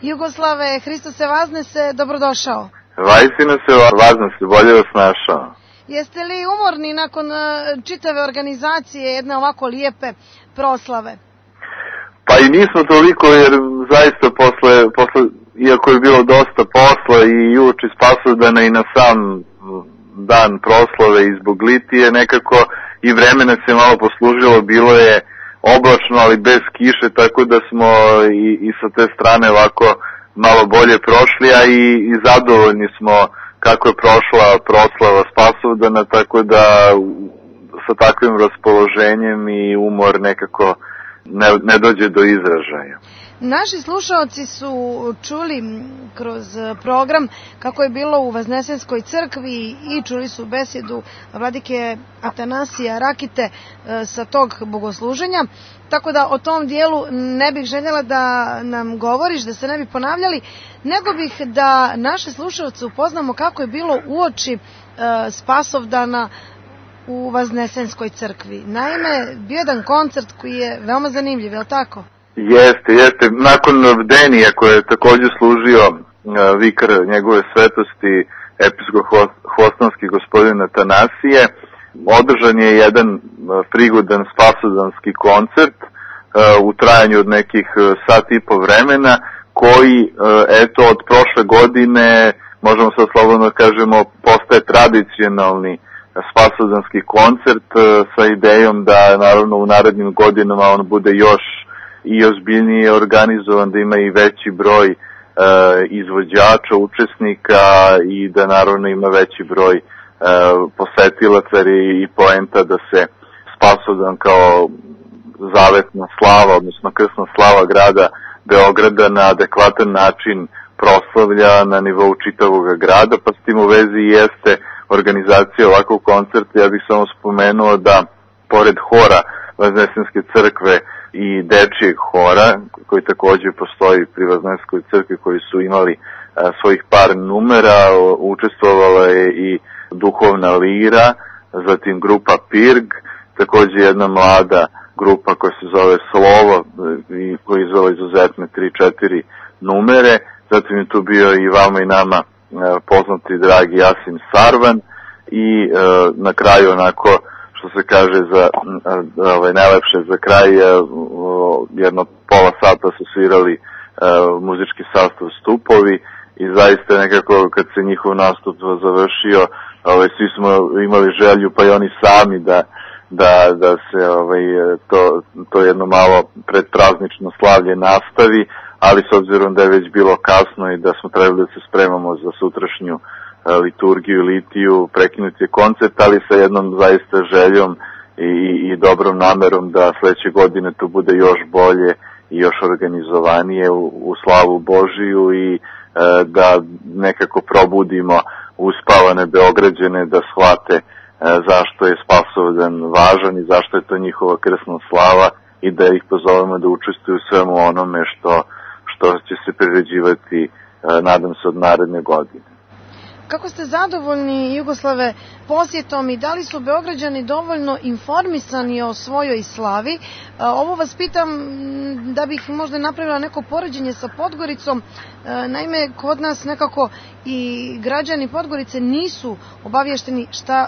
Jugoslave, Hristos se vaznese, dobrodošao. Vajsina se vaznese, bolje vas našao. Jeste li umorni nakon čitave organizacije jedne ovako lijepe proslave? Pa i nismo toliko, jer zaista posle iako je bilo dosta posla i uoči Spasovdana i na sam dan proslave i zbog litije, nekako i vremena se malo poslužilo, bilo je oblačno, ali bez kiše, tako da smo i sa te strane ovako malo bolje prošli, a i zadovoljni smo kako je prošla proslava Spasovdana, tako da sa takvim raspoloženjem i umor nekako ne dođe do izražaja. Naši slušaoci su čuli kroz program kako je bilo u Vaznesenskoj crkvi i čuli su besedu vladike Atanasija Rakite sa tog bogosluženja, tako da o tom dijelu ne bih željela da nam govoriš, da se ne bi ponavljali, nego bih da naše slušaoce upoznamo kako je bilo uoči Spasovdana u Vaznesenskoj crkvi. Naime, bio jedan koncert koji je veoma zanimljiv, je li tako? Jeste. Nakon bdenija koje je također služio vikar njegove svetosti episkop Hvostanski gospodin Atanasije, održan je jedan prigodan spasovdanski koncert u trajanju od nekih sat i po vremena, koji od prošle godine, možemo sad slobodno kažemo, postaje tradicionalni spasovdanski koncert sa idejom da naravno u narednim godinama on bude još i ozbiljnije organizovan, da ima i veći broj izvođača, učesnika i da naravno ima veći broj posetilaca i poenta da se Spasovdan kao zavetna slava, odnosno krsna slava grada Beograda na adekvatan način proslavlja na nivou čitavog grada, pa s tim u vezi jeste organizacija ovakvog koncerta. Ja bih samo spomenuo da pored hora Vaznesenske crkve i dečijeg hora, koji također postoji pri Vaznesenskoj crkvi, koji su imali svojih par numera, učestvovala je i duhovna lira, zatim grupa Pirg, također jedna mlada grupa koja se zove Slovo i koja izvela izuzetne 3-4 numere, zatim je tu bio i vama i nama poznati dragi Jasim Sarvan i na kraju onako što se kaže najlepše za kraj jedno pola sata su svirali muzički sastav Stupovi i zaista nekako kad se njihov nastup završio svi smo imali želju pa i oni sami da se to jedno malo predpraznično slavlje nastavi, ali s obzirom da je već bilo kasno i da smo trebali da se spremamo za sutrašnju liturgiju i litiju, prekinuti je koncert, ali sa jednom zaista željom i dobrom namerom da sledeće godine to bude još bolje i još organizovanije u slavu Božiju i da nekako probudimo uspavane Beograđane da shvate zašto je Spasovdan važan i zašto je to njihova krsna slava i da ih pozovemo da učestvuju u svemu onome što će se priređivati, nadam se, od naredne godine. Kako ste zadovoljni, Jugoslave, posjetom i da li su Beograđani dovoljno informisani o svojoj slavi? Ovo vas pitam da bih možda napravila neko poređenje sa Podgoricom. Naime, kod nas nekako i građani Podgorice nisu obavješteni šta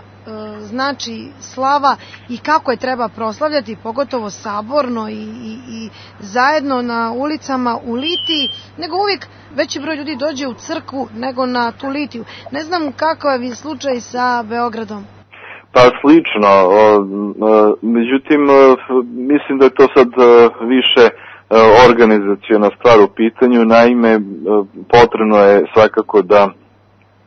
znači slava i kako je treba proslavljati, pogotovo saborno i zajedno na ulicama u litiji, nego uvijek veći broj ljudi dođe u crkvu nego na tu litiju. Ne znam kakav je slučaj sa Beogradom. Pa slično, međutim mislim da je to sad više organizaciona stvar u pitanju. Naime, potrebno je svakako da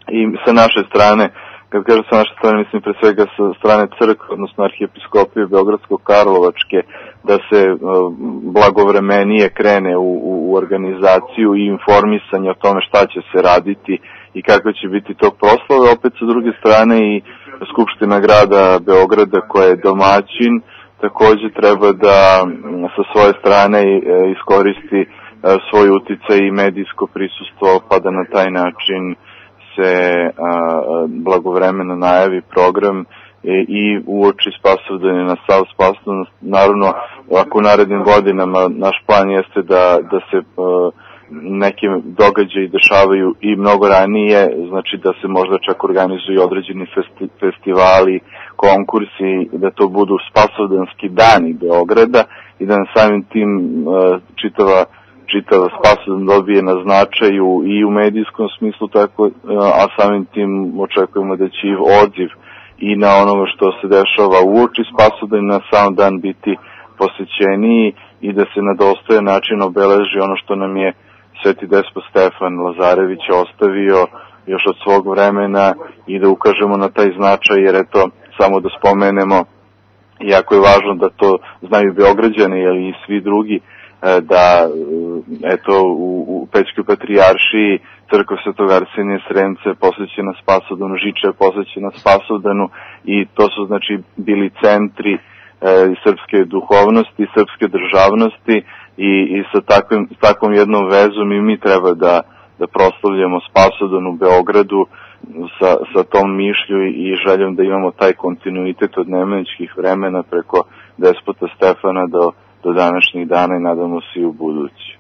i sa naše strane, kad kažem sa naše strane, mislim pre svega sa strane crkve, odnosno arhijepiskopije Beogradsko-Karlovačke, da se blagovremenije krene u organizaciju i informisanje o tome šta će se raditi i kako će biti tog proslave. Opet sa druge strane i Skupština grada Beograda koja je domaćin također treba da sa svoje strane iskoristi svoj uticaj i medijsko prisustvo, pa da na taj način se blagovremeno najavi program i uoči Spasovdana na sav Spasovdan. Naravno, ako u narednim godinama naš plan jeste da se neke događaji dešavaju i mnogo ranije, znači da se možda čak organizuju određeni festivali, konkursi, da to budu Spasovdanski dani Beograda i da na samim tim čitava Spasovdan dobije na značaju i u medijskom smislu, tako, a samim tim očekujemo da će odziv i na onoga što se dešava uoči Spasovdan na sam dan biti posvećeniji i da se na dostojan način obeleži ono što nam je Sveti Despot Stefan Lazarević ostavio još od svog vremena i da ukažemo na taj značaj, jer eto, samo da spomenemo, jako je važno da to znaju Beograđani i svi drugi, da eto u Pećkoj patrijaršiji crkva Svetog Arsenija Sremce posvećena Spasovdanu, Žiča je posvećena Spasovdanu i to su znači bili centri srpske duhovnosti, srpske državnosti i sa takvom jednom vezom i mi treba da proslavljamo Spasovdan u Beogradu sa tom mišlju i željom da imamo taj kontinuitet od nemanjičkih vremena preko Despota Stefana do današnjih dana i nadamo se i u budući.